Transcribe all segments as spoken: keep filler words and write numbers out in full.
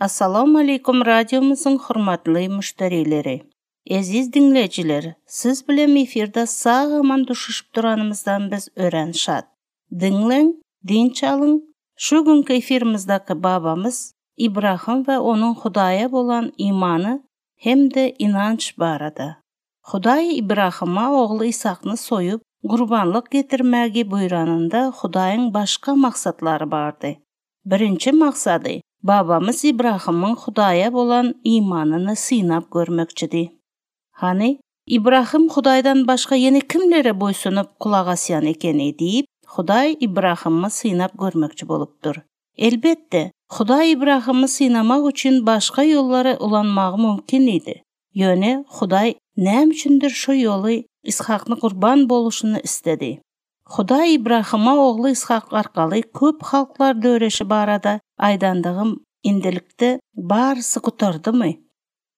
Assalamu aleýkum radiomyzyň hormatly müşderileri. Eziz diňleýjiler, siz bilen efirde sag-aman duşuşyp duranymyzdan biz örän şat. Diňläň, dynç alyň. Şu günki efirimizdäki babamyz Ibrahim we onuň Hudaýa bolan imany hem-de inanç barada. Hudaý Ibrahima ogly Isakny soýup, gurbanlyk getirmägi buýranynda Hudaýyň başga maksatlary bardy. Birinji maksady babamyz Ibrahimyň Hudaýa bolan imanyny synap görmekçidi. Hany, Ibrahim Hudaýdan başga ýene kimlere boýsunyp kulak asýan ekeni diýip, Hudaý Ibrahimy synap görmekçi bolupdyr. Elbetde, Hudaý Ibrahimy synamak üçin başga ýollary ulanmagy mümkin idi. Ýöne Hudaý näme üçindir şu ýoly Ishakny gurban boluşyny istedi. Hudaý Ibrahima ogly Ishak arkaly köp halklar döreşi barada aýdandygym indilikde barysy gutardymy?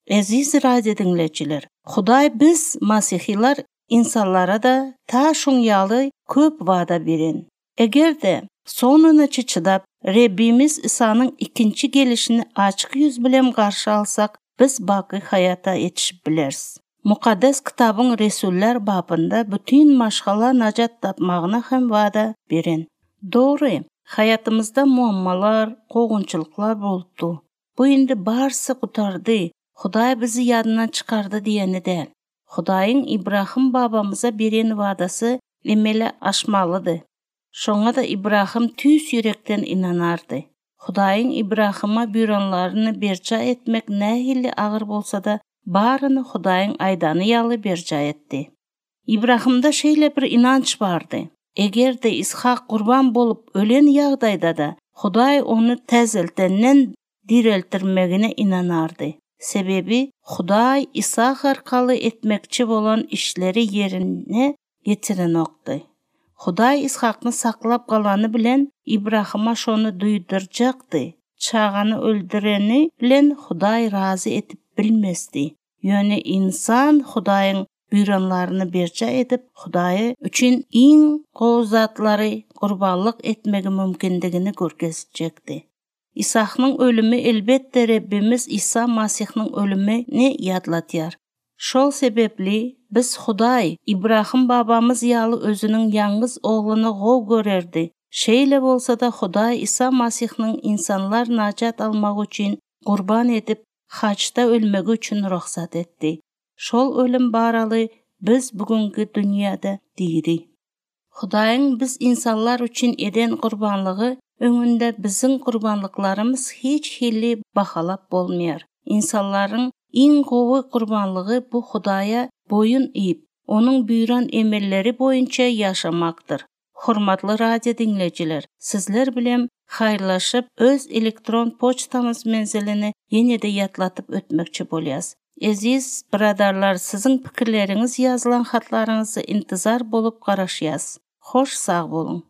Eziz radio diňleýjiler, Hudaý biz masihiler insanlara da ta şuň ýaly köp wada beren. Eger-de sonunaça çydap, Rebbimiz İsa'nın ikinji gelişini açyk ýüz bilen garşy alsak, biz baky hayata ýetişip bileris. Mukaddes kitabyň Resullar babynda bütün maşgala najat tapmagyna hem wada beren. Dogry, hayatymyzda muammalar, kowgunçylyklar bolupdy. Bu indi barysy gutardy. Hudaý bizi ýadyndan çykardy diýeni däl. Hudaýyň Ibrahim babamyza beren wadasy emele aşmalydy. Şoňa da Ibrahim tüýs ýürekden inanardy. Hudaýyň Ibrahima buýranlaryny berja etmek nähili agyr bolsa da, baryny Hudaýyň aýdany ýaly berja etdi. Ibrahimda şeýle bir inanç bardy. Eger-de Ishak gurban bolup ölen ýagdaýda da Hudaý ony täzeltenden direltdirmegine inanardy. Sebebi Hudaý Ishak arkaly etmekçi bolan işleri ýerine ýetirenokdy. Hudaý Ishakny saklap galany bilen Ibrahima şony duýdurjakdy. Çagany öldüreni bilen Hudaý razy edip bilmezdi. Ýöne insan Hudaýyň buýranlaryny berja edip, Hudaýy üçin iň gowy zatlary gurbanlyk etmegi mümkindigini görkezjekdi. Isaknyň ölümi elbetde Rebbimiz İsa Masihniň ölümini ýatlatýar. Şol sebepli biz Hudaý Ibrahim babamyz ýaly özüniň ýalňyz ogluny gowy görerdi. Şeýle bolsa da Hudaý İsa Masihniň insanlar najat almak üçin gurban edip, haçda ölmegi üçin ruhsat etdi. Şol ölüm baraly biz bugünkü dünýäde diri. Hudaýyň biz insanlar üçin eden gurbanlygy öňünde biziň gurbanlyklarymyz hiç hili bahalap bolmaýar. Insanlaryň iň gowy gurbanlygy bu Hudaýa boýun iýip, onuň buýran emelleri boýunça ýaşamakdyr. Hormatly radio diňleýjiler, sizler bilen haýyrlaşyp, öz elektron poçtamyz menzilini ýene-de ýatlatyp ötmekçi bolýas. Eziz biradarlar, siziň pikirleriňiz ýazylan hatlaryňyzy intizar bolup garaşýas. Hoş sag boluň.